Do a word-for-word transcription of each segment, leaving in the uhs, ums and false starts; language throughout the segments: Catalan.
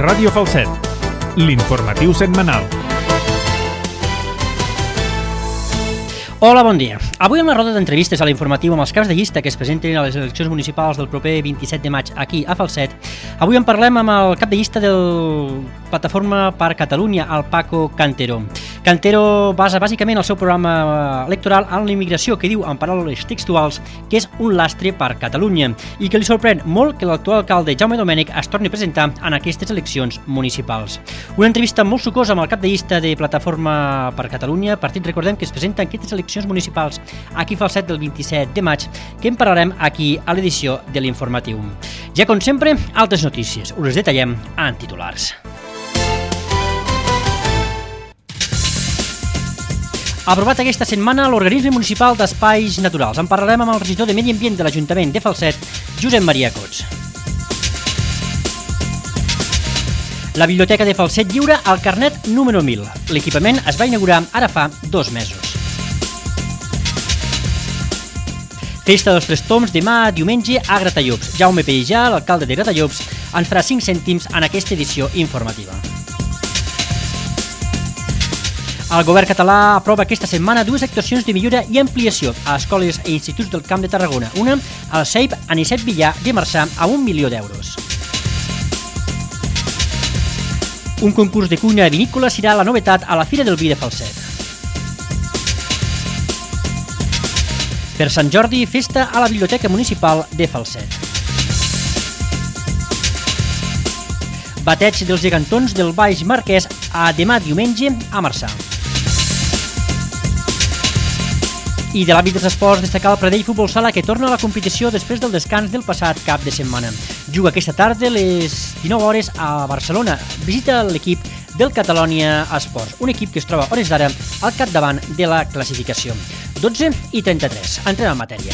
Ràdio Falset, l'informatiu setmanal. Hola, bon dia. Avui en la roda d'entrevistes a l'informatiu amb els caps de llista que es presenten a les eleccions municipals del proper vint-i-set de maig aquí a Falset, avui en parlem amb el cap de llista del Plataforma per Catalunya, el Paco Cantero. Cantero basa bàsicament el seu programa electoral en la immigració, que diu, en paraules textuals, que és un lastre per Catalunya i que li sorprèn molt que l'actual alcalde Jaume Domènech es torni a presentar en aquestes eleccions municipals. Una entrevista molt sucosa amb el cap de llista de Plataforma per Catalunya, partit, recordem, que es presenta en aquestes eleccions municipals aquí a Falset del vint-i-set de maig, que en parlarem aquí a l'edició de l'informatiu. Ja com sempre, altres notícies. Us les detallem en titulars. Aprovat aquesta setmana l'Organisme Municipal d'Espais Naturals. En parlarem amb el regidor de Medi Ambient de l'Ajuntament de Falset, Josep Maria Cots. La Biblioteca de Falset lliura el carnet número mil. L'equipament es va inaugurar ara fa dos mesos. Festa dels Tres Toms demà diumenge a Gratallops. Jaume Pellijà, l'alcalde de Gratallops, ens farà cinc cèntims en aquesta edició informativa. El govern català aprova aquesta setmana dues actuacions de millora i ampliació a escoles i instituts del Camp de Tarragona. Una, al C E I P Anicet Villar de Marçà, a un milió d'euros. Un concurs de cuina vinícola serà la novetat a la Fira del Vi de Falset. Per Sant Jordi, festa a la Biblioteca Municipal de Falset. Bateig dels gegantons del Baix Marquès a demà diumenge a Marçà. I de l'àmbit dels esports, destacar el Pradell Futbol Sala, que torna a la competició després del descans del passat cap de setmana. Juga aquesta tarda a les dinou hores a Barcelona. Visita l'equip del Catalonia Esports, un equip que es troba a hores d'ara al capdavant de la classificació. dotze i trenta-tres. Entrem en matèria.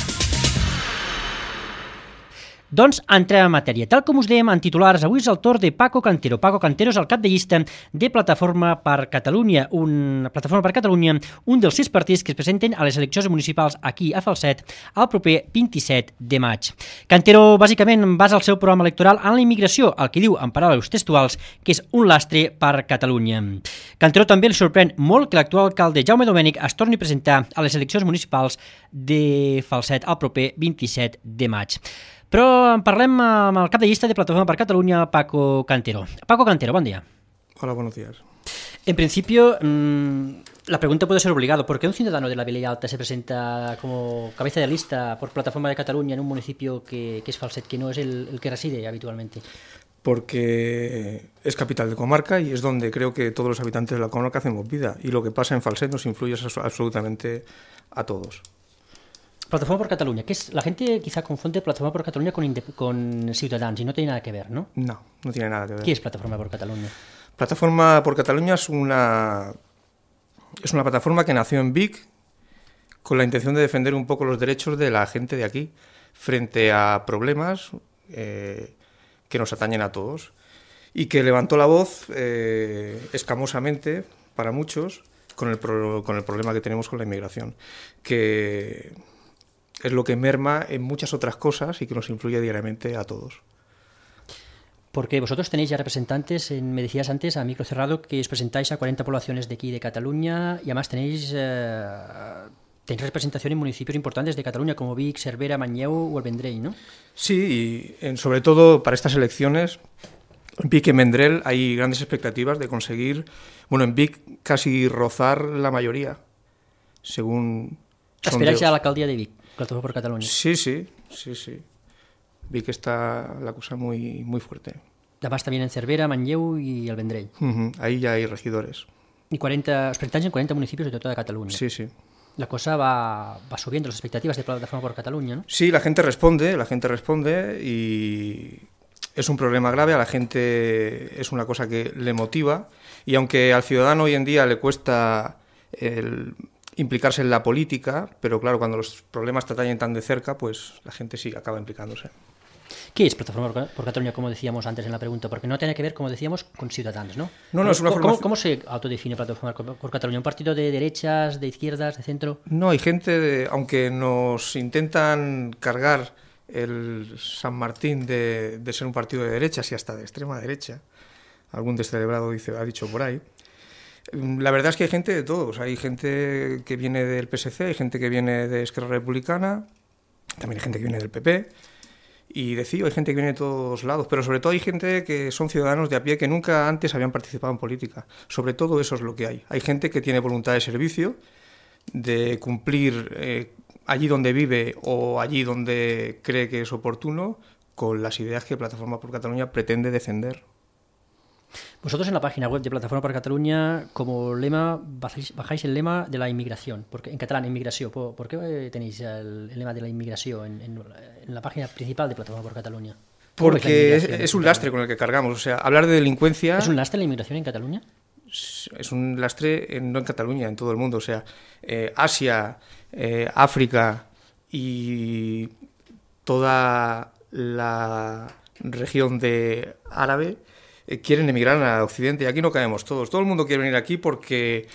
Doncs entrem en matèria. Tal com us dèiem en titulars, avui és el torn de Paco Cantero. Paco Cantero és el cap de llista de Plataforma per Catalunya, un, Plataforma per Catalunya, un dels sis partits que es presenten a les eleccions municipals aquí a Falset el proper vint-i-set de maig. Cantero, bàsicament, basa el seu programa electoral en la immigració, el que diu, en paraules textuals, que és un lastre per Catalunya. Cantero també li sorprèn molt que l'actual alcalde Jaume Domènech es torni a presentar a les eleccions municipals de Falset el proper vint-i-set de maig. Però en parlem amb el cap de llista de Plataforma per Catalunya, Paco Cantero. Paco Cantero, bon día. Hola, buenos días. En principio, mmm, la pregunta puede ser obligada. ¿Por qué un ciudadano de la Vilella Alta se presenta como cabeza de lista por Plataforma de Cataluña en un municipio que, que es Falset, que no es el, el que reside habitualmente? Porque es capital de comarca y es donde creo que todos los habitantes de la comarca hacemos vida. Y lo que pasa en Falset nos influye absolutamente a todos. Plataforma por Cataluña, que es, la gente quizá confunde Plataforma por Cataluña con, con Ciutadans y no tiene nada que ver, ¿no? No, no tiene nada que ver. ¿Qué es Plataforma por Cataluña? Plataforma por Cataluña es una, es una plataforma que nació en Vic con la intención de defender un poco los derechos de la gente de aquí frente a problemas eh, que nos atañen a todos y que levantó la voz eh, escamosamente para muchos con el, pro, con el problema que tenemos con la inmigración, que es lo que merma en muchas otras cosas y que nos influye diariamente a todos. Porque vosotros tenéis ya representantes, en, me decías antes, a micro cerrado, que os presentáis a cuarenta poblaciones de aquí de Cataluña y además tenéis, eh, tenéis representación en municipios importantes de Cataluña como Vic, Cervera, Manlleu o el Vendrell, ¿no? Sí, y en, sobre todo para estas elecciones, en Vic y en Vendrell hay grandes expectativas de conseguir, bueno, en Vic casi rozar la mayoría, según... ¿Esperáis a la alcaldía de Vic? Plataforma por Cataluña. Sí, sí, sí, sí. Vi que está la cosa muy, muy fuerte. Además también en Cervera, Manlleu y el Vendrell. Uh-huh. Ahí ya hay regidores. Y cuarenta, os presentáis en cuarenta municipios de toda Cataluña. Sí, sí. La cosa va, va subiendo, las expectativas de Plataforma por Cataluña, ¿no? Sí, la gente responde, la gente responde y es un problema grave, a la gente es una cosa que le motiva y aunque al ciudadano hoy en día le cuesta el implicarse en la política, pero claro, cuando los problemas te atañen tan de cerca, pues la gente sí acaba implicándose. ¿Qué es Plataforma por Cataluña, como decíamos antes en la pregunta? Porque no tiene que ver, como decíamos, con Ciudadanos, ¿no? No, no, es una ¿Cómo, formación... ¿Cómo se autodefine Plataforma por Cataluña? ¿Un partido de derechas, de izquierdas, de centro? No, hay gente, de, aunque nos intentan cargar el San Martín de, de ser un partido de derechas y hasta de extrema derecha, algún descerebrado dice, ha dicho por ahí. La verdad es que hay gente de todos. Hay gente que viene del P S C, hay gente que viene de Esquerra Republicana, también hay gente que viene del P P, y de C I O hay gente que viene de todos lados, pero sobre todo hay gente que son ciudadanos de a pie que nunca antes habían participado en política. Sobre todo eso es lo que hay. Hay gente que tiene voluntad de servicio, de cumplir eh, allí donde vive o allí donde cree que es oportuno, con las ideas que Plataforma por Cataluña pretende defender. Vosotros en la página web de Plataforma por Cataluña, como lema, bajáis, bajáis el lema de la inmigración, porque en catalán, inmigración. ¿Por, por qué tenéis el, el lema de la inmigración en, en, en la página principal de Plataforma por Cataluña? Porque es, es un lastre con el que cargamos. O sea, hablar de delincuencia... ¿Es un lastre la inmigración en Cataluña? Es un lastre, en, no en Cataluña, en todo el mundo. O sea, eh, Asia, eh, África y toda la región de árabe eh, quieren emigrar a Occidente, y aquí no caemos todos. Todo el mundo quiere venir aquí porque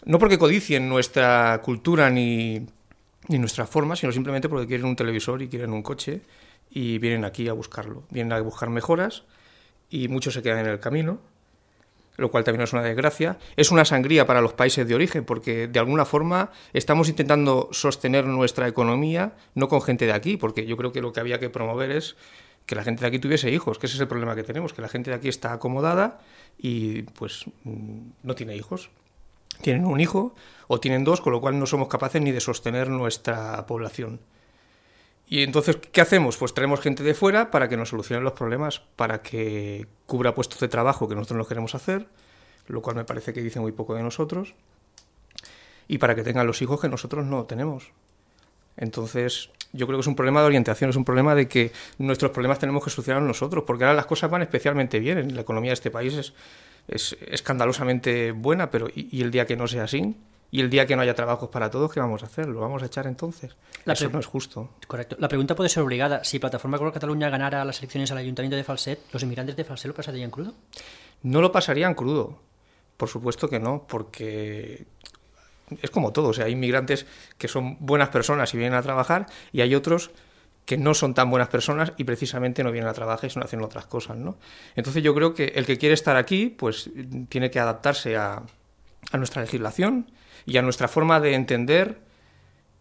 no porque codicien nuestra cultura ni, ni nuestra forma, sino simplemente porque quieren un televisor y quieren un coche y vienen aquí a buscarlo. Vienen a buscar mejoras y muchos se quedan en el camino, lo cual también es una desgracia. Es una sangría para los países de origen, porque de alguna forma estamos intentando sostener nuestra economía, no con gente de aquí, porque yo creo que lo que había que promover es que la gente de aquí tuviese hijos, que ese es el problema que tenemos, que la gente de aquí está acomodada y pues no tiene hijos. Tienen un hijo o tienen dos, con lo cual no somos capaces ni de sostener nuestra población. Y entonces, ¿qué hacemos? Pues traemos gente de fuera para que nos solucionen los problemas, para que cubra puestos de trabajo que nosotros no queremos hacer, lo cual me parece que dice muy poco de nosotros, y para que tengan los hijos que nosotros no tenemos. Entonces, yo creo que es un problema de orientación, es un problema de que nuestros problemas tenemos que solucionar nosotros, porque ahora las cosas van especialmente bien. La economía de este país es, es escandalosamente buena, pero ¿y, y el día que no sea así? Y el día que no haya trabajos para todos, ¿qué vamos a hacer? ¿Lo vamos a echar entonces? La Eso no es justo. Correcto. La pregunta puede ser obligada. Si Plataforma por Cataluña ganara las elecciones al Ayuntamiento de Falset, ¿los inmigrantes de Falset lo pasarían crudo? No lo pasarían crudo. Por supuesto que no, porque es como todo. O sea, hay inmigrantes que son buenas personas y vienen a trabajar, y hay otros que no son tan buenas personas y precisamente no vienen a trabajar y son haciendo otras cosas, ¿no? Entonces yo creo que el que quiere estar aquí, pues tiene que adaptarse a, a nuestra legislación y a nuestra forma de entender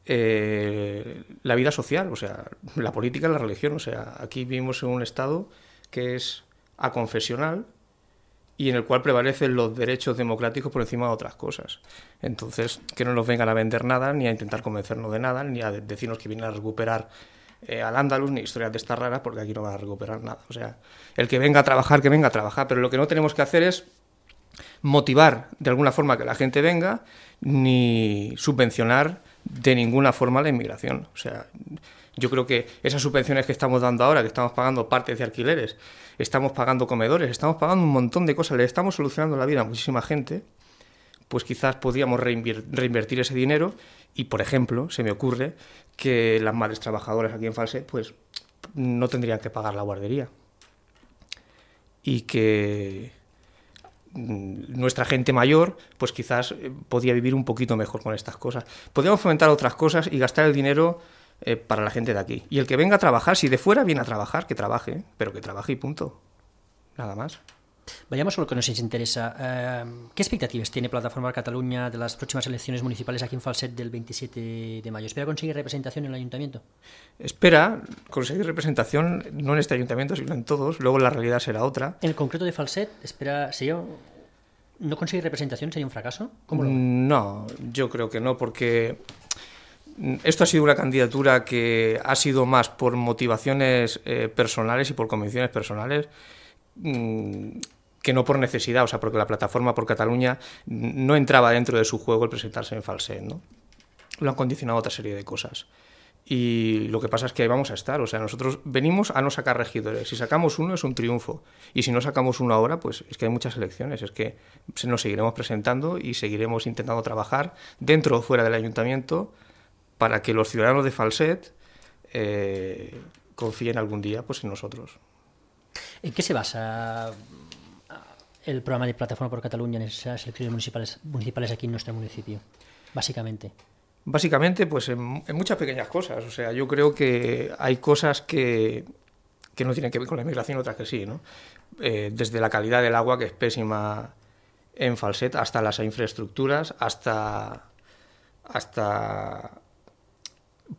eh, la vida social, o sea, la política y la religión. O sea, aquí vivimos en un Estado que es aconfesional y en el cual prevalecen los derechos democráticos por encima de otras cosas. Entonces, que no nos vengan a vender nada, ni a intentar convencernos de nada, ni a decirnos que vienen a recuperar eh, al Andaluz, ni historias de estas raras, porque aquí no van a recuperar nada. O sea, el que venga a trabajar, que venga a trabajar, pero lo que no tenemos que hacer es motivar de alguna forma que la gente venga, ni subvencionar de ninguna forma la inmigración. O sea, yo creo que esas subvenciones que estamos dando ahora, que estamos pagando partes de alquileres, estamos pagando comedores, estamos pagando un montón de cosas, le estamos solucionando la vida a muchísima gente, pues quizás podríamos reinvir- reinvertir ese dinero y, por ejemplo, se me ocurre que las madres trabajadoras aquí en Falset pues no tendrían que pagar la guardería y que nuestra gente mayor pues quizás podía vivir un poquito mejor con estas cosas. Podríamos fomentar otras cosas y gastar el dinero eh, para la gente de aquí. Y el que venga a trabajar, si de fuera viene a trabajar, que trabaje, pero que trabaje y punto. Nada más. Vayamos a lo que nos interesa. Eh, ¿Qué expectativas tiene Plataforma Cataluña de las próximas elecciones municipales aquí en Falset del veintisiete de mayo? ¿Espera conseguir representación en el ayuntamiento? Espera conseguir representación no en este ayuntamiento, sino en todos. Luego la realidad será otra. En el concreto de Falset, espera, ¿sería, ¿no conseguir representación sería un fracaso? ¿Cómo lo ve? No, yo creo que no, porque esto ha sido una candidatura que ha sido más por motivaciones eh, personales y por convicciones personales mmm, que no por necesidad. O sea, porque la Plataforma por Cataluña no entraba dentro de su juego el presentarse en Falset, ¿no? Lo han condicionado a otra serie de cosas. Y lo que pasa es que ahí vamos a estar. O sea, nosotros venimos a no sacar regidores. Si sacamos uno es un triunfo. Y si no sacamos uno ahora, pues es que hay muchas elecciones. Es que nos seguiremos presentando y seguiremos intentando trabajar dentro o fuera del ayuntamiento para que los ciudadanos de Falset eh, confíen algún día pues, en nosotros. ¿En qué se basa el programa de Plataforma por Cataluña en esas elecciones municipales, municipales aquí en nuestro municipio, básicamente? Básicamente, pues en, en muchas pequeñas cosas. O sea, yo creo que hay cosas que, que no tienen que ver con la inmigración, otras que sí, ¿no? eh, desde la calidad del agua, que es pésima en Falset, hasta las infraestructuras, hasta, hasta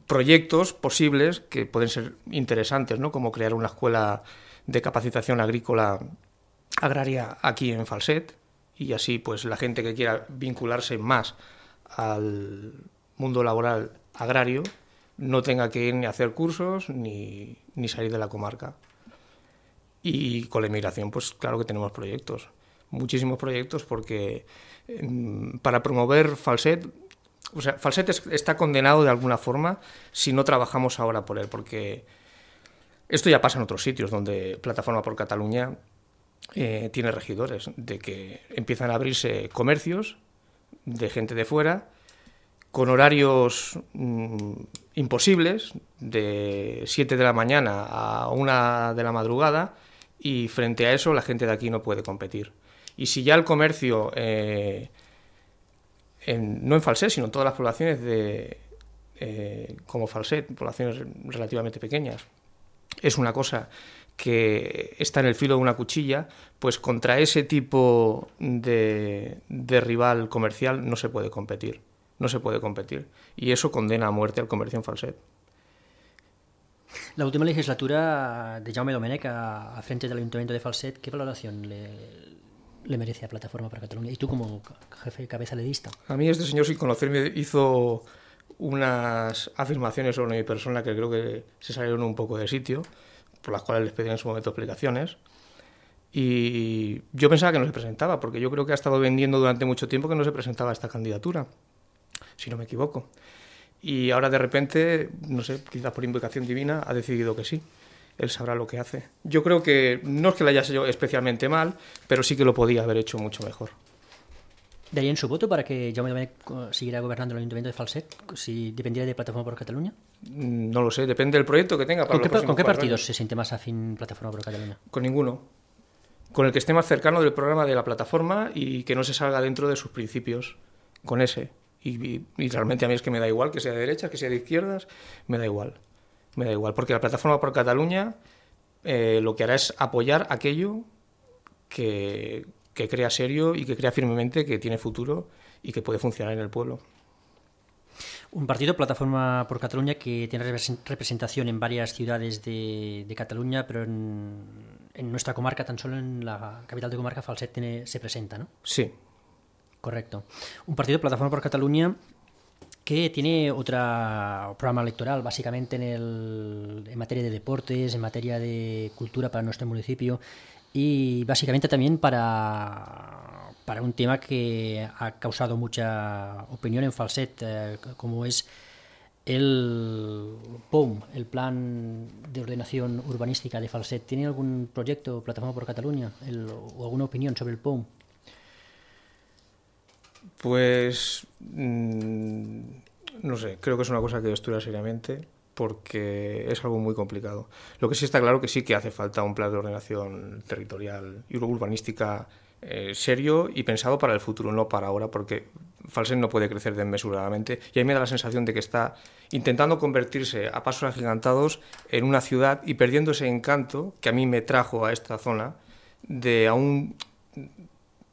proyectos posibles que pueden ser interesantes, ¿no? Como crear una escuela de capacitación agrícola agraria aquí en Falset, y así pues la gente que quiera vincularse más al mundo laboral agrario no tenga que ir ni a hacer cursos ni, ni salir de la comarca. Y con la inmigración, pues claro que tenemos proyectos, muchísimos proyectos, porque eh, para promover Falset, o sea, Falset es, está condenado de alguna forma si no trabajamos ahora por él, porque esto ya pasa en otros sitios donde Plataforma por Cataluña eh, tiene regidores, de que empiezan a abrirse comercios de gente de fuera con horarios mmm, imposibles, de siete de la mañana a una de la madrugada, y frente a eso la gente de aquí no puede competir. Y si ya el comercio, eh, en, no en Falset, sino en todas las poblaciones de, eh, como Falset, poblaciones relativamente pequeñas, es una cosa que está en el filo de una cuchilla, pues contra ese tipo de, de rival comercial no se puede competir. No se puede competir. Y eso condena a muerte al comercio en Falset. La última legislatura de Jaume Domènech a, a frente del Ayuntamiento de Falset, ¿qué valoración le, le merece a Plataforma por Cataluña? Y tú como jefe de cabeza de lista. A mí este señor, sin conocerme, hizo unas afirmaciones sobre mi persona que creo que se salieron un poco de sitio, por las cuales les pedí en su momento explicaciones. Y yo pensaba que no se presentaba, porque yo creo que ha estado vendiendo durante mucho tiempo que no se presentaba a esta candidatura, si no me equivoco. Y ahora de repente, no sé, quizás por invocación divina, ha decidido que sí. Él sabrá lo que hace. Yo creo que no es que lo haya hecho especialmente mal, pero sí que lo podía haber hecho mucho mejor. ¿Darían su voto para que Jaume Domènech siguiera gobernando el Ayuntamiento de Falset si dependiera de Plataforma por Cataluña? No lo sé, depende del proyecto que tenga. Para ¿Con, los qué, ¿con qué partidos años. se siente más afín Plataforma por Cataluña? Con ninguno. Con el que esté más cercano del programa de la plataforma y que no se salga dentro de sus principios. Con ese. Y, y, y realmente a mí es que me da igual que sea de derechas, que sea de izquierdas, me da igual. Me da igual, porque la Plataforma por Cataluña eh, lo que hará es apoyar aquello que, que crea serio y que crea firmemente que tiene futuro y que puede funcionar en el pueblo. Un partido, Plataforma por Cataluña, que tiene representación en varias ciudades de, de Cataluña, pero en, en nuestra comarca, tan solo en la capital de comarca, Falset tiene, se presenta, ¿no? Sí. Correcto. Un partido, Plataforma por Cataluña, que tiene otro programa electoral, básicamente en, el, en materia de deportes, en materia de cultura para nuestro municipio y básicamente también para, para un tema que ha causado mucha opinión en Falset, eh, como es el P O U M, el Plan de Ordenación Urbanística de Falset. ¿Tiene algún proyecto, Plataforma por Cataluña, el, o alguna opinión sobre el P O U M? Pues mmm, no sé, creo que es una cosa que estudia seriamente porque es algo muy complicado. Lo que sí está claro que sí que hace falta un plan de ordenación territorial y urbanística eh, serio y pensado para el futuro, no para ahora, porque Falset no puede crecer desmesuradamente y a mí me da la sensación de que está intentando convertirse a pasos agigantados en una ciudad y perdiendo ese encanto que a mí me trajo a esta zona de a un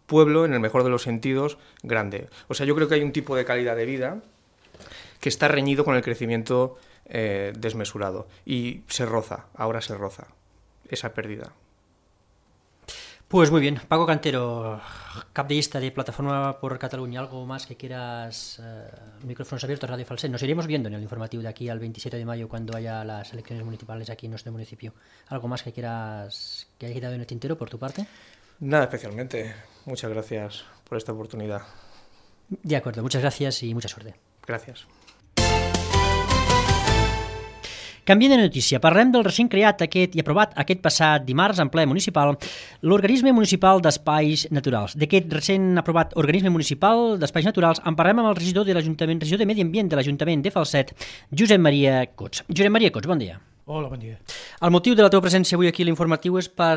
pueblo, en el mejor de los sentidos, grande. O sea, yo creo que hay un tipo de calidad de vida que está reñido con el crecimiento eh, desmesurado. Y se roza, ahora se roza esa pérdida. Pues muy bien. Paco Cantero, cap de lista de Plataforma por Cataluña, ¿algo más que quieras? Eh, micrófonos abiertos, Radio Falset. Nos iremos viendo en el informativo de aquí al veintisiete de mayo cuando haya las elecciones municipales aquí en nuestro municipio. ¿Algo más que quieras que haya quedado en el tintero por tu parte? Nada especialmente. Muchas gracias por esta oportunidad. De acuerdo, muchas gracias i mucha suerte. Gràcies. Canviem de notícia. Parlem del recent creat aquest i aprovat aquest passat dimarts en ple municipal l'Organisme Municipal d'Espais Naturals. D'aquest recent aprovat Organisme Municipal d'Espais Naturals en parlem amb el regidor de l'Ajuntament, regidor de Medi Ambient de l'Ajuntament de Falset, Josep Maria Cots. Josep Maria Cots, bon dia. Hola, bon dia. El motiu de la teva presència avui aquí a l'informatiu és per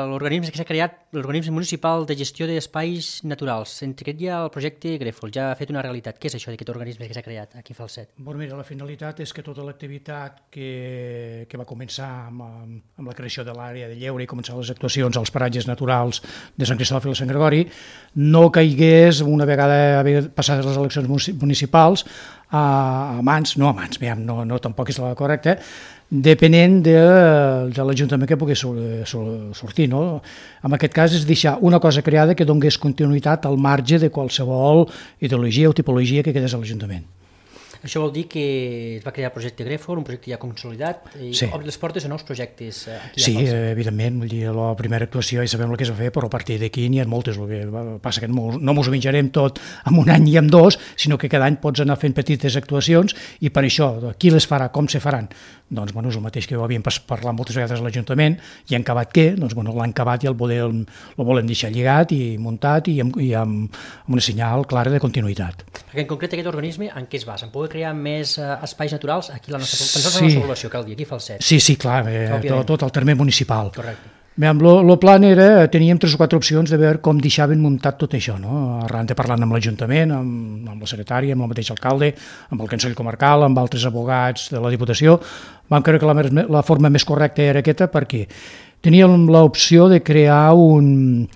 l'organisme que s'ha creat, l'organisme municipal de gestió d'espais naturals. Entre aquest hi ha el projecte Grèfol, ja ha fet una realitat. Què és això d'aquest organisme que s'ha creat aquí a Falset? Bon, mira, la finalitat és que tota l'activitat que, que va començar amb, amb la creació de l'àrea de lleure i començar les actuacions als paratges naturals de Sant Cristòfol i Sant Gregori no caigués una vegada passades les eleccions municipals a mans, no a mans, no, no tampoc és la correcta, depenent de, de l'Ajuntament que pugui sortir. No? En aquest cas és deixar una cosa creada que donés continuïtat al marge de qualsevol ideologia o tipologia que quedés a l'Ajuntament. Això vol dir que es va crear el projecte Grèfol, un projecte ja consolidat, i sí. Obri les portes a nous projectes aquí sí, a Falset. Sí, evidentment, vull dir, la primera actuació ja sabem el que es va fer, però a partir d'aquí n'hi ha moltes. El que passa que no ens ho menjarem tot en un any i en dos, sinó que cada any pots anar fent petites actuacions i per això, qui les farà, com se faran? Doncs bueno, és el mateix que ho havíem parlat moltes vegades a l'Ajuntament, i han acabat què? Doncs bueno, l'han acabat i el volem, el volem deixar lligat i muntat i amb, i amb una senyal clara de continuïtat. Perquè en concret aquest organisme en què es basa? En poder crear més eh, espais naturals aquí a la nostra, sí. la nostra població, cal dir, aquí a Falset. Sí, sí, clar, eh, tot, tot el terme municipal. Correcte. El plan era, teníem tres o quatre opcions de veure com deixaven muntat tot això, no? Arran de parlant amb l'Ajuntament, amb, amb la secretària, amb el mateix alcalde, amb el Consell Comarcal, amb altres abogats de la Diputació, vam creure que la, la forma més correcta era aquesta perquè teníem l'opció de crear un,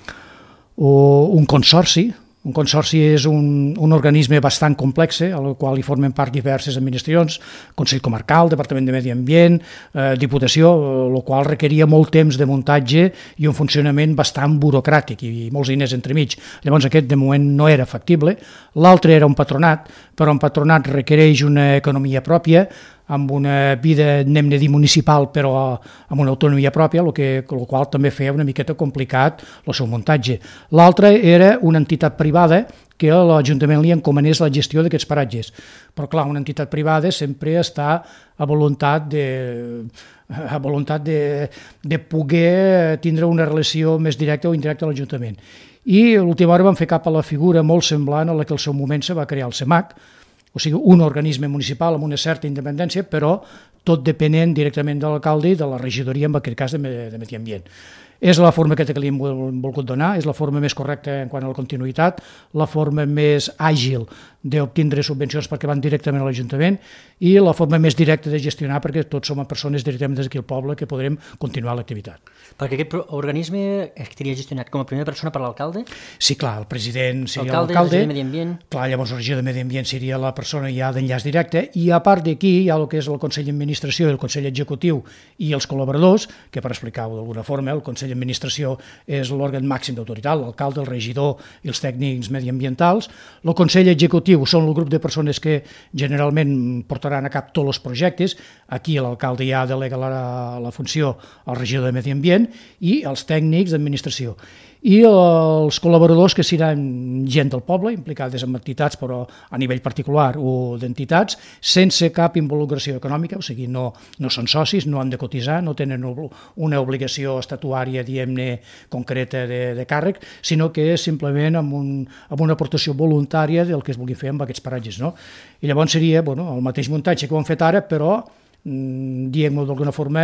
un consorci. Un consorci és un, un organisme bastant complex, al qual hi formen part diverses administracions, Consell Comarcal, Departament de Medi Ambient, eh, Diputació, el qual requeria molt temps de muntatge i un funcionament bastant burocràtic i molts diners entremig. Llavors aquest de moment no era factible. L'altre era un patronat, però un patronat requereix una economia pròpia, amb una vida, anem a dir, municipal, però amb una autonomia pròpia, el, que, el qual també feia una miqueta complicat el seu muntatge. L'altre era una entitat privada que a l'Ajuntament li encomanés la gestió d'aquests paratges. Però clar, una entitat privada sempre està a voluntat de, a voluntat de, de poder tindre una relació més directa o indirecta a l'Ajuntament. I a l'última hora vam fer cap a la figura molt semblant a la que al seu moment se va crear el CEMAC, o sigui, un organisme municipal amb una certa independència, però tot depenent directament de l'alcalde i de la regidoria, en aquest cas de Medi Ambient. És la forma que li hem volgut donar, és la forma més correcta en quant a la continuïtat, la forma més àgil d'obtindre subvencions perquè van directament a l'Ajuntament i la forma més directa de gestionar perquè tots som persones directament des d'aquí al poble que podrem continuar l'activitat. Perquè aquest organisme estaria gestionat com a primera persona per l'alcalde? Sí, clar, el president seria l'alcalde. L'alcalde, el regidor de Medi Ambient. Clar, llavors el regidor de Medi Ambient seria la persona ja d'enllaç directe i a part d'aquí hi ha el que és el Consell d'Administració i el Consell Executiu i els col·laboradors, que per explicar-ho d'alguna forma, el Consell d'Administració és l'òrgan màxim d'autoritat, l'alcalde, el regidor i els tècnics mediambientals. El Consell Executiu són el grup de persones que generalment portaran a cap tots els projectes. Aquí l'alcalde ja delega la, la funció al regidor de Medi Ambient i els tècnics d'administració. I els col·laboradors que seran gent del poble, implicades en entitats però a nivell particular o d'entitats, sense cap involucració econòmica, o sigui, no, no són socis, no han de cotitzar, no tenen una obligació estatuària, diguem-ne, concreta de, de càrrec, sinó que és simplement amb, un, amb una aportació voluntària del que es vulgui fer amb aquests paratges. No? I llavors seria bueno, el mateix muntatge que ho han fet ara, però diguem-ho d'alguna forma,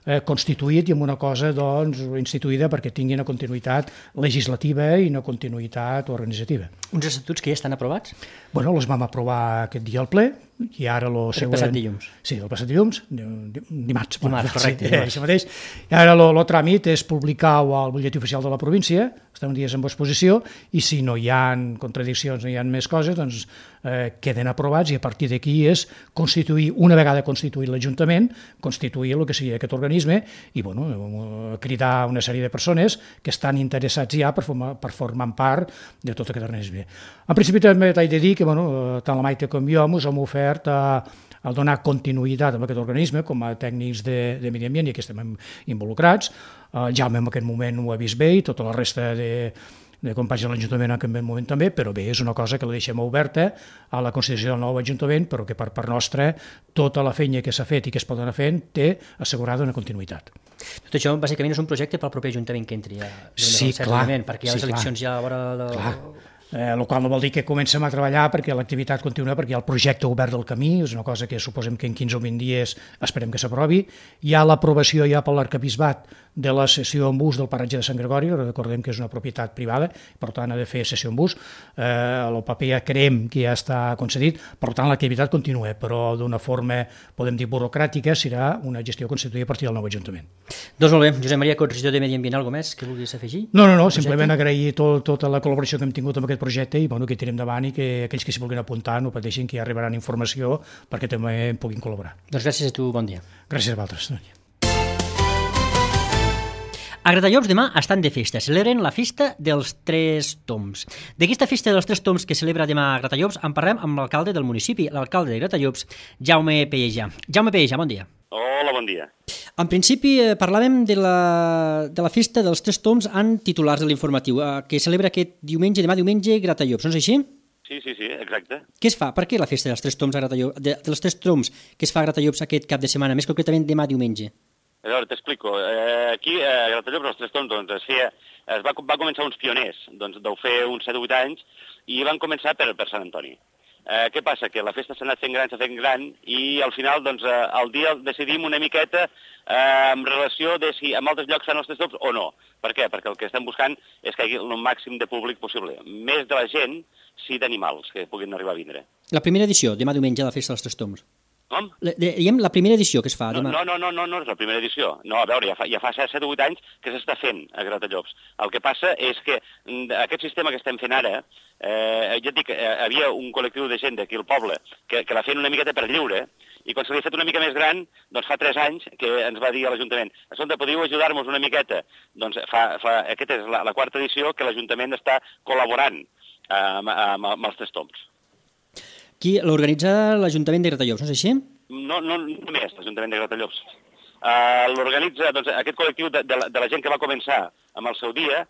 eh, constituït i amb una cosa doncs, instituïda perquè tingui una continuïtat legislativa i una continuïtat organitzativa. Uns estatuts que ja estan aprovats? Bueno, els vam aprovar aquest dia al ple i ara el següent... El passat dilluns. Sí, el passat dilluns, dimarts. Dimarts, correcte. Sí, això mateix. I ara el tràmit és publicar-ho al butlletí oficial de la província, estem dies en exposició, i si no hi ha contradiccions, no hi ha més coses, doncs eh, queden aprovats i a partir d'aquí és constituir, una vegada constituït l'Ajuntament, constituir el que seria aquest organisme i bueno, cridar una sèrie de persones que estan interessats ja per formar, per formar part de tot aquest organisme. En principi també t'haig de dir que bueno, tant la Maite com jo ens hem ofert a a donar continuïtat a aquest organisme com a tècnics de, de Medi Ambient i que estem involucrats. El Jaume en aquest moment ho ha vist bé i tota la resta de, de companys de l'Ajuntament en aquest moment també, però bé, és una cosa que la deixem oberta a la constitució del nou Ajuntament, però que per part nostra tota la feina que s'ha fet i que es pot anar fent té assegurada una continuïtat. Tot això bàsicament és un projecte pel proper Ajuntament que entri a sí, clar, perquè hi ha sí, les eleccions clar, ja a vora... La... Clar. Eh, el qual no vol dir que comencem a treballar perquè l'activitat continua, perquè hi ha el projecte obert del camí, és una cosa que suposem que en quinze o vint dies esperem que s'aprovi. Hi ha l'aprovació ja per l'arquebisbat de la sessió en bus del paratge de Sant Gregori, recordem que és una propietat privada, per tant ha de fer sessió en bus. Eh, el paper ja creiem que ja està concedit, per tant l'activitat continua, però d'una forma, podem dir, burocràtica, serà una gestió constituïda a partir del nou Ajuntament. Doncs molt bé. Josep Maria Cots, regidor de Medi Ambient, alguna més que vulguis afegir? No, no, no, simplement agrair tot, tota la col·laboració que hem tingut amb aquest projecte i bueno, que tirem endavant i que aquells que s'hi vulguin apuntar no pateixin, que ja arribaran informació perquè també en puguin col·laborar. Doncs gràcies a tu, bon dia. Gràcies a vosaltres. A Gratallops demà estan de festa, celebren la festa dels Tres Tombs. D'aquesta festa dels Tres Tombs que celebra demà a Gratallops en parlem amb l'alcalde del municipi, l'alcalde de Gratallops, Jaume Pellejà. Jaume Pellejà, bon dia. Hola, bon dia. En principi, eh, parlàvem de la, de la festa dels Tres Tombs en titulars de l'informatiu, eh, que celebra aquest diumenge, demà diumenge, Gratallops, no és així? Sí, sí, sí, exacte. Què es fa? Per què la festa dels Tres Tombs a Gratallops, de, dels Tres Tombs que es fa a Gratallops aquest cap de setmana, més concretament demà diumenge? A veure, t'explico. Eh, aquí, a Gratallops, els Tres Tombs, doncs, es feia, es va, va començar uns pioners, doncs, deu fer uns set o vuit anys, i van començar per, per Sant Antoni. Eh, què passa? Que la festa s'ha anat fent gran, s'ha fent gran, i al final, doncs, eh, al dia decidim una miqueta eh, en relació de si en altres llocs fan els Tres Tombs o no. Per què? Perquè el que estem buscant és que hi hagi el màxim de públic possible. Més de la gent, sí d'animals que puguin arribar a vindre. La primera edició, demà diumenge, de la festa dels Tres Tombs. Com? La, diguem, la primera edició que es fa No, demà. no, no, no, no, no és la primera edició. No, a veure, ja fa, ja fa set o vuit anys que s'està fent a Gratallops. El que passa és que mm, aquest sistema que estem fent ara, eh, ja et dic, eh, havia un col·lectiu de gent d'aquí al poble que, que la feien una miqueta per lliure, i quan se l'ha fet una mica més gran, doncs fa tres anys que ens va dir a l'Ajuntament: escolta, podeu ajudar-nos una miqueta? Doncs fa, fa, aquesta és la, la quarta edició que l'Ajuntament està col·laborant eh, amb, amb, amb els Tres Tombs. Qui l'organitza l'Ajuntament de Gratallops, no és així? No, no només l'Ajuntament de Gratallops. Uh, L'organitza doncs, aquest col·lectiu de, de, la, de la gent que va començar amb el seu dia,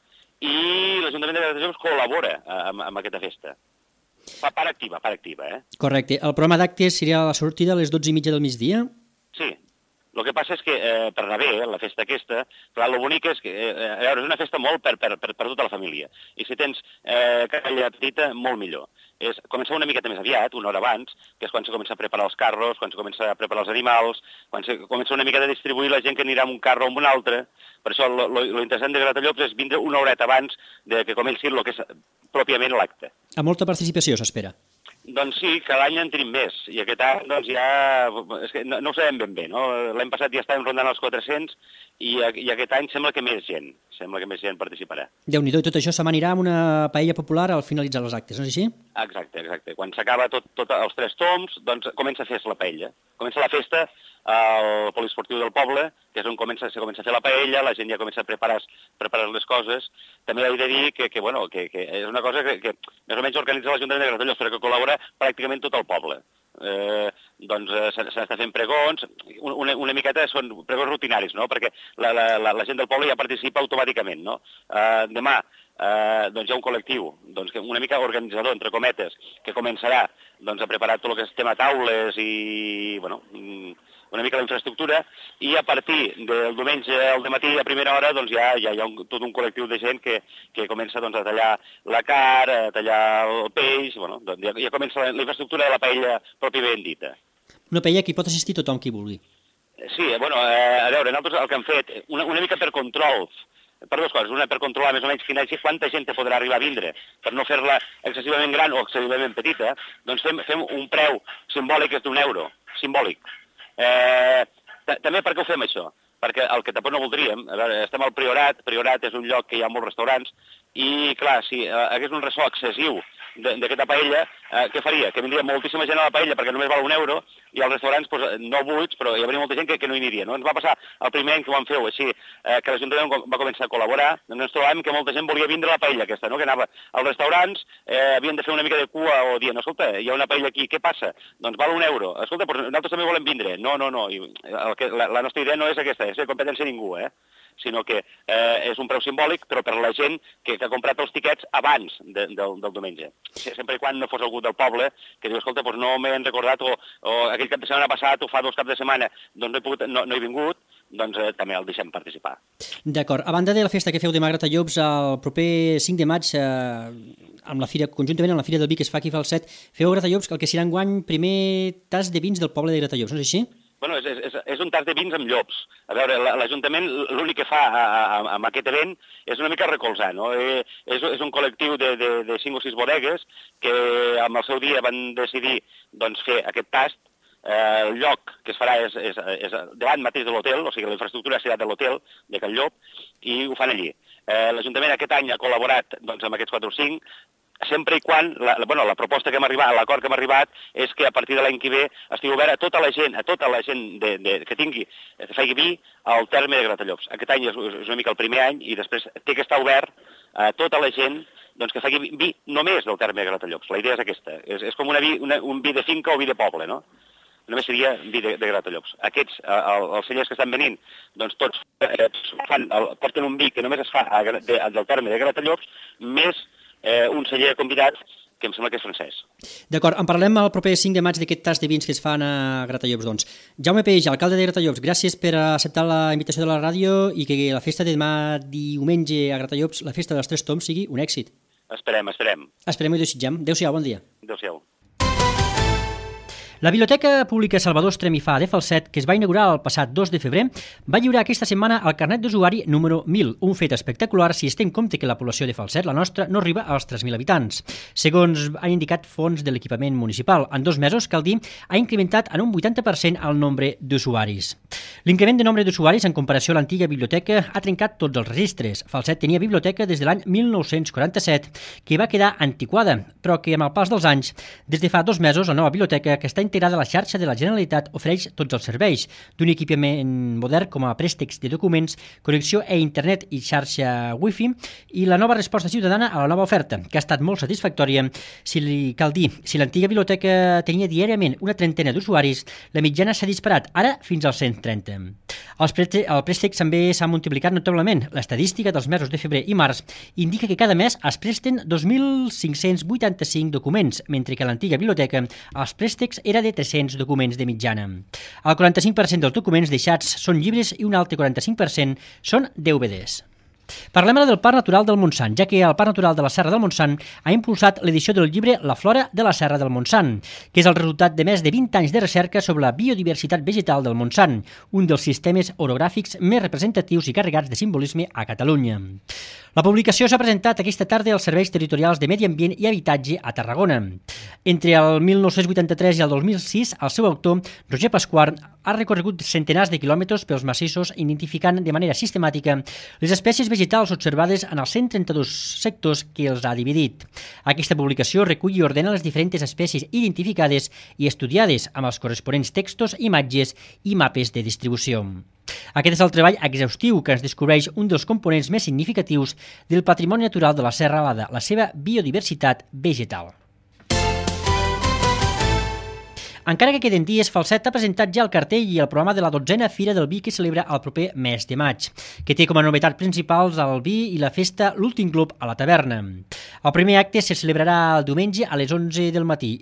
i l'Ajuntament de Gratallops col·labora amb, amb aquesta festa. Fa part activa, part activa, eh? Correcte. El programa d'actes seria a la sortida a les dotze i mitja del migdia? Sí. El que passa és que, eh, per anar bé, eh, la festa aquesta, clar, el bonic és que, eh, a veure, és una festa molt per, per, per, per tota la família. I si tens eh, calla petita, molt millor. És començar una miqueta més aviat, una hora abans, que és quan se comença a preparar els carros, quan se comença a preparar els animals, quan se comença una mica a distribuir la gent que anirà amb un carro o amb un altre. Per això lo, lo, lo interessant de Gratallops és vindre una horeta abans de que comenci el que és pròpiament l'acte. A molta participació s'espera. Doncs sí, cada any en tenim més, i aquest any doncs ja, és que no, no ho sabem ben bé, no? L'any passat ja estàvem rondant els quatre-cents, i, i aquest any sembla que més gent, sembla que més gent participarà. Déu-n'hi-do, i tot això s'amanirà amb una paella popular al finalitzar els actes, no és així? Exacte, exacte. Quan s'acaba tot, tot els Tres Tombs, doncs comença a fer-se la paella. Comença la festa al poliesportiu del poble, que és on comença, se comença a fer la paella, la gent ja comença a preparar, preparar les coses. També he de dir que, que, bueno, que, que és una cosa que, que més o menys organitza l'Ajuntament de Gratallops, però que col·labora pràcticament tot el poble. Eh, doncs eh, s'està fent pregons, una, una miqueta són pregons rutinaris, no? Perquè la, la, la, la gent del poble ja participa automàticament, no? Eh, demà eh, doncs hi ha un col·lectiu, doncs, que una mica organitzador, entre cometes, que començarà doncs, a preparar tot el que és tema taules i, bueno, una mica la infraestructura, i a partir del diumenge al dematí a primera hora doncs ja, ja hi ha un, tot un col·lectiu de gent que, que comença doncs, a tallar la carn, a tallar el peix, bueno, doncs ja, ja comença la, la infraestructura de la paella pròpiament dita. Una paella que hi pot assistir tothom qui vulgui. Sí, bueno, eh, a veure, nosaltres el que hem fet, una, una mica per control, per dues coses, una per controlar més o menys quina, quanta gent podrà arribar a vindre, per no fer-la excessivament gran o excessivament petita, doncs fem, fem un preu simbòlic que és d'un euro, simbòlic. Eh, també per què ho fem això? Perquè el que tampoc no voldríem, a veure, estem al Priorat, Priorat és un lloc que hi ha molts restaurants, i clar, si eh, hagués un ressò excessiu d'aquesta paella, eh, què faria? Que vindria moltíssima gent a la paella perquè només val un euro, i als restaurants pues, no buits, però hi hauria molta gent que, que no hi aniria. No? Ens va passar el primer any que ho vam fer així, eh, que l'Ajuntament va començar a col·laborar, doncs ens trobàvem que molta gent volia vindre a la paella aquesta, no? Que anava als restaurants, eh, havien de fer una mica de cua o dient, escolta, hi ha una paella aquí, què passa? Doncs val un euro. Escolta, però nosaltres també volem vindre. No, no, no. I el que, la, la nostra idea no és aquesta, és de competència a ningú, eh? Sinó que eh, és un preu simbòlic, però per la gent que, que ha comprat els tiquets abans de, del, del diumenge. Sempre i quan no fos algú del poble que diu, escolta, doncs no m'he recordat, o, o aquell cap de setmana passat, o fa dos caps de setmana, doncs no he, pogut, no, no he vingut, doncs eh, també el deixem participar. D'acord. A banda de la festa que feu demà a Gratallops, el proper cinc de maig, eh, amb la fira, conjuntament amb la Fira del Vi que es fa aquí a Falset, feu a Gratallops el que serà enguany primer tas de vins del poble de Gratallops, no és així? Bueno, és, és, és un tas de vins amb llops. A veure, l'Ajuntament l'únic que fa a, a, amb aquest event és una mica recolzar, no? Eh, és, és un col·lectiu de, de, de cinc o sis bodegues que amb el seu dia van decidir doncs, fer aquest tast. Eh, el lloc que es farà és, és, és davant mateix de l'hotel, o sigui, la infraestructura serà de l'hotel de Can Llop, i ho fan allí. Eh, L'Ajuntament aquest any ha col·laborat doncs, amb aquests quatre o cinc, sempre i quan, la, bueno, la proposta que hem arribat, l'acord que hem arribat, és que a partir de l'any que ve estigui obert a tota la gent, a tota la gent de, de, que tingui, que faci vi al terme de Gratallops. Aquest any és, és una mica el primer any i després té que estar obert a tota la gent doncs, que faci vi només del terme de Gratallops. La idea és aquesta. És, és com una vi, una, un vi de finca o vi de poble, no? Només seria vi de, de Gratallops. Aquests, el, els cellers que estan venint, doncs tots eh, fan, el, porten un vi que només es fa a, de, del terme de Gratallops, més Eh, un celler convidat que em sembla que és francès. D'acord, en parlem el proper cinc de maig d'aquest tas de vins que es fan a Gratallops, doncs. Jaume Peix, alcalde de Gratallops, gràcies per acceptar la invitació de la ràdio i que la festa de demà diumenge a Gratallops, la festa dels Tres Tombs, sigui un èxit. Esperem, esperem. Esperem i desitgem. Adéu-siau, bon dia. Adéu-siau. La Biblioteca Pública Salvador Estremifà de Falset, que es va inaugurar el passat dos de febrer, va lliurar aquesta setmana el carnet d'usuari número mil, un fet espectacular si es té en compte que la població de Falset, la nostra, no arriba als tres mil habitants. Segons han indicat fons de l'equipament municipal, en dos mesos, cal dir, ha incrementat en un vuitanta per cent el nombre d'usuaris. L'increment de nombre d'usuaris en comparació a l'antiga biblioteca ha trencat tots els registres. Falset tenia biblioteca des de l'any mil nou-cents quaranta-set, que va quedar antiquada, però que amb el pas dels anys, des de fa dos mesos, la nova biblioteca, que està integrada a la xarxa de la Generalitat, ofereix tots els serveis, d'un equipament modern com a préstecs de documents, connexió a internet i xarxa wifi, i la nova resposta ciutadana a la nova oferta, que ha estat molt satisfactòria. Si li cal dir, si l'antiga biblioteca tenia diàriament una trentena d'usuaris, la mitjana s'ha disparat, ara fins als cent trenta. Els préstecs, el préstec també s'ha multiplicat notablement. L'estadística dels mesos de febrer i març indica que cada mes es presten dos mil cinc-cents vuitanta-cinc documents, mentre que a l'antiga biblioteca els préstecs era de tres-cents documents de mitjana. El quaranta-cinc per cent dels documents deixats són llibres i un altre quaranta-cinc per cent són D V Ds. Parlem ara del Parc Natural del Montsant, ja que el Parc Natural de la Serra del Montsant ha impulsat l'edició del llibre La flora de la Serra del Montsant, que és el resultat de més de vint anys de recerca sobre la biodiversitat vegetal del Montsant, un dels sistemes orogràfics més representatius i carregats de simbolisme a Catalunya. La publicació s'ha presentat aquesta tarda als Serveis Territorials de Medi Ambient i Habitatge a Tarragona. Entre el mil nou-cents vuitanta-tres i el dos mil sis, el seu autor, Roger Pasquart, ha recorregut centenars de quilòmetres pels massissos identificant de manera sistemàtica les espècies vegetals observades en els cent trenta-dos sectors que els ha dividit. Aquesta publicació recull i ordena les diferents espècies identificades i estudiades amb els corresponents textos, imatges i mapes de distribució. Aquest és el treball exhaustiu que ens descobreix un dels components més significatius del patrimoni natural de la Serra Alada, la seva biodiversitat vegetal. Encara que queden dies, Falset ha presentat ja el cartell i el programa de la dotzena Fira del Vi que celebra el proper mes de maig, que té com a novetat principals el vi i la festa L'Últim Club a la taverna. El primer acte se celebrarà el diumenge a les onze del matí.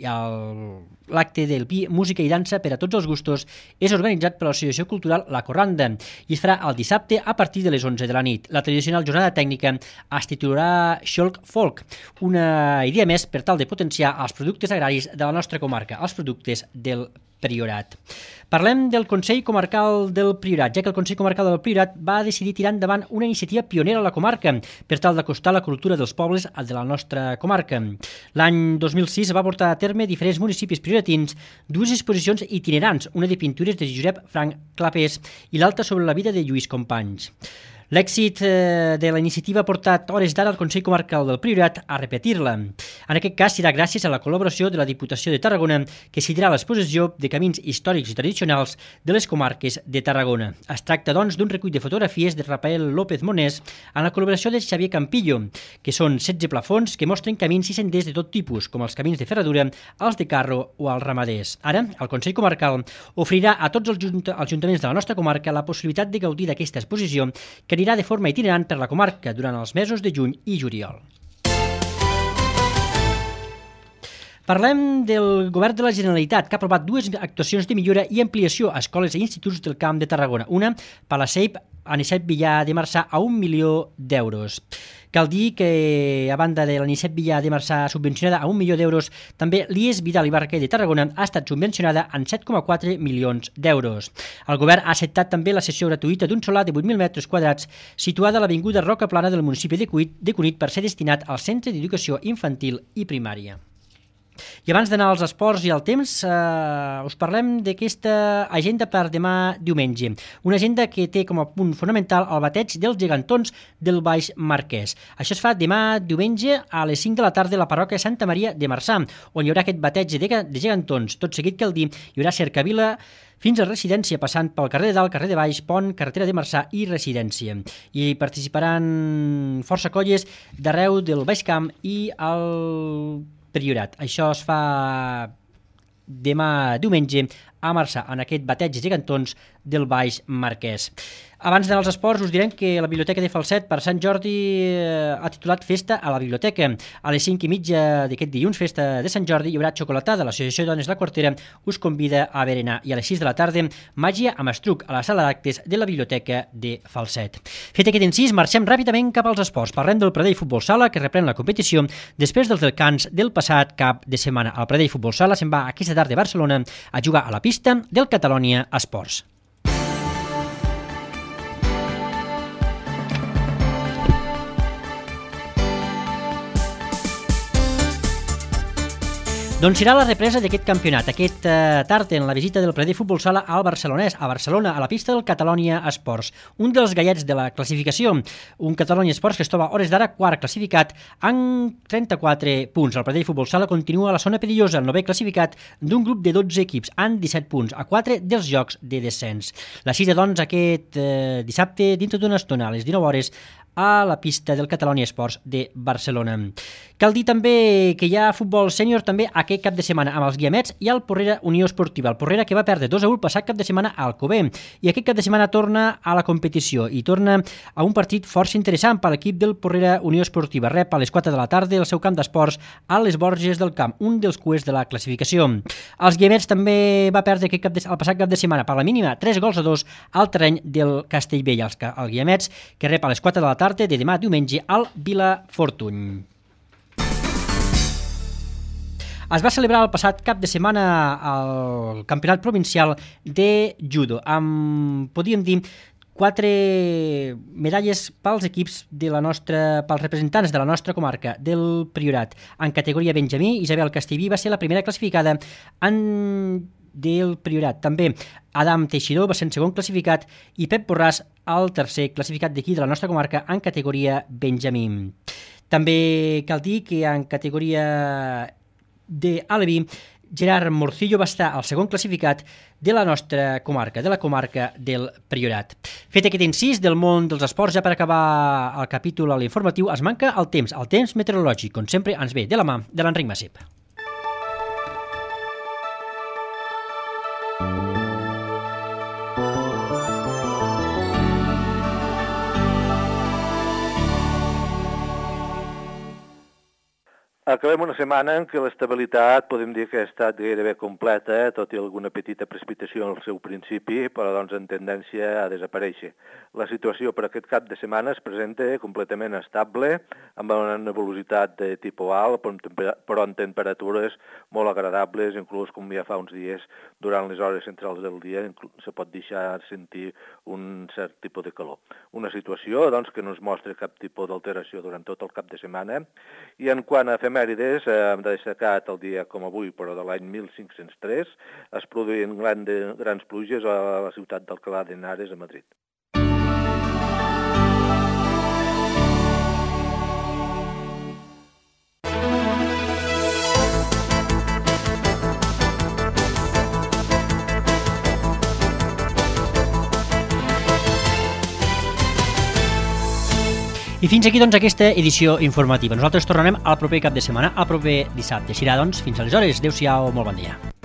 L'acte del vi, música i dansa per a tots els gustos és organitzat per l'Associació Cultural La Corranda i es farà el dissabte a partir de les onze de la nit. La tradicional jornada tècnica es titularà Xolc Folk, una idea més per tal de potenciar els productes agraris de la nostra comarca, els productes del Priorat. Parlem del Consell Comarcal del Priorat, ja que el Consell Comarcal del Priorat va decidir tirar endavant una iniciativa pionera a la comarca per tal d'acostar la cultura dels pobles de la nostra comarca. L'any dos mil sis va portar a terme diferents municipis prioratins dues exposicions itinerants, una de pintures de Josep Frank Clapés i l'altra sobre la vida de Lluís Companys. L'èxit de la iniciativa ha portat hores d'ara al Consell Comarcal del Priorat a repetir-la. En aquest cas serà gràcies a la col·laboració de la Diputació de Tarragona, que cedirà l'exposició de camins històrics i tradicionals de les comarques de Tarragona. Es tracta, doncs, d'un recull de fotografies de Rafael López Monés en la col·laboració de Xavier Campillo, que són setze plafons que mostren camins i senders de tot tipus, com els camins de ferradura, els de carro o els ramaders. Ara, el Consell Comarcal oferirà a tots els ajuntaments de la nostra comarca la possibilitat de gaudir d'aquesta exposició, que anirà de forma itinerant per la comarca durant els mesos de juny i juliol. Parlem del Govern de la Generalitat, que ha aprovat dues actuacions de millora i ampliació a escoles i instituts del Camp de Tarragona. Una, per la SEIP Anicet Villar de Marçà, a un milió d'euros. Cal dir que, a banda de l'Anicet Villar de Marçà subvencionada a un milió d'euros, també l'I E S Vidal i Barquer de Tarragona ha estat subvencionada en set coma quatre milions d'euros. El govern ha acceptat també la cessió gratuïta d'un solar de vuit mil metres quadrats situada a l'avinguda Roca Plana del municipi de Cunit per ser destinat al Centre d'Educació Infantil i Primària. I abans d'anar als esports i al temps, eh, us parlem d'aquesta agenda per demà diumenge. Una agenda que té com a punt fonamental el bateig dels gegantons del Baix Marquès. Això es fa demà diumenge a les cinc de la tarda a la parròquia Santa Maria de Marçà, on hi haurà aquest bateig de, de gegantons. Tot seguit, cal dir, hi haurà cercavila fins a Residència, passant pel carrer de Dalt, carrer de Baix, Pont, carretera de Marçà i Residència. I participaran força colles d'arreu del Baix Camp i el Priorat. Això es fa demà diumenge a Marçà, en aquest bateig de gegantons del Baix Marquès. Abans d'anar als esports, us direm que la Biblioteca de Falset per Sant Jordi ha titulat Festa a la Biblioteca. A les cinc i mitja d'aquest dilluns, Festa de Sant Jordi, hi haurà xocolatada. L'Associació de Dones La Quartera us convida a berenar. I a les sis de la tarda, màgia amb estruc a la sala d'actes de la Biblioteca de Falset. Fet aquest incís, marxem ràpidament cap als esports. Parlem del Pradell Futbol Sala, que reprèn la competició després dels descans del passat cap de setmana. El Pradell Futbol Sala se'n va aquesta tarda a Barcelona a jugar a la pista del Catalonia Esports. Doncs serà la represa d'aquest campionat, aquest eh, tard en la visita del Pradell Futbol Sala al Barcelonès, a Barcelona, a la pista del Catalonia Esports. Un dels gallets de la classificació, un Catalonia Esports que es troba a hores d'ara quart classificat amb trenta-quatre punts. El Pradell Futbol Sala continua a la zona perillosa, el novè classificat d'un grup de dotze equips, amb disset punts, a quatre dels jocs de descens. La cita, doncs, aquest eh, dissabte, dintre d'una estona, a les dinou hores, a la pista del Catalonia Esports de Barcelona. Cal dir també que hi ha futbol sènior també aquest cap de setmana amb els Guiamets i el Porrera Unió Esportiva. El Porrera que va perdre dos a u el passat cap de setmana al Alcover. I aquest cap de setmana torna a la competició i torna a un partit força interessant per l'equip del Porrera Unió Esportiva. Rep a les quatre de la tarda el seu camp d'esports a les Borges del Camp, un dels cuers de la classificació. Els Guiamets també va perdre aquest cap de, el passat cap de setmana per la mínima tres gols a dos al terreny del Castellbell. Els, el Guiamets que rep a les quatre de la tarda de demà diumenge al Vilafortuny. Es va celebrar el passat cap de setmana el campionat provincial de judo, amb, podríem dir, quatre medalles pels equips de la nostra, pels representants de la nostra comarca, del Priorat. En categoria Benjamí, Isabel Castellví va ser la primera classificada en del Priorat. També Adam Teixidor va ser el segon classificat i Pep Borràs el tercer classificat d'aquí de la nostra comarca en categoria Benjamí. També cal dir que en categoria de Aleví, Gerard Morcillo va estar el segon classificat de la nostra comarca, de la comarca del Priorat. Fet aquest incís del món dels esports, ja per acabar el capítol a l'informatiu, es manca el temps, el temps meteorològic, com sempre ens ve de la mà de l'Enric Massip. Acabem una setmana en què l'estabilitat podem dir que ha estat gairebé completa, tot i alguna petita precipitació al seu principi, però doncs en tendència a desaparèixer. La situació per aquest cap de setmana es presenta completament estable, amb una nebulositat de tipus alt, però en temperatures molt agradables, inclús com ja fa uns dies, durant les hores centrals del dia, se pot deixar sentir un cert tipus de calor. Una situació doncs, que no es mostra cap tipus d'alteració durant tot el cap de setmana, i en quant a efemèrides, hem destacat el dia com avui, però de l'any mil cinc-cents tres, es produïen grans pluges a la ciutat d'Alcalá de Henares, a Madrid. I fins aquí, doncs, aquesta edició informativa. Nosaltres tornarem al proper cap de setmana, al proper dissabte. Serà, doncs, fins aleshores. Adéu-siau, molt bon dia.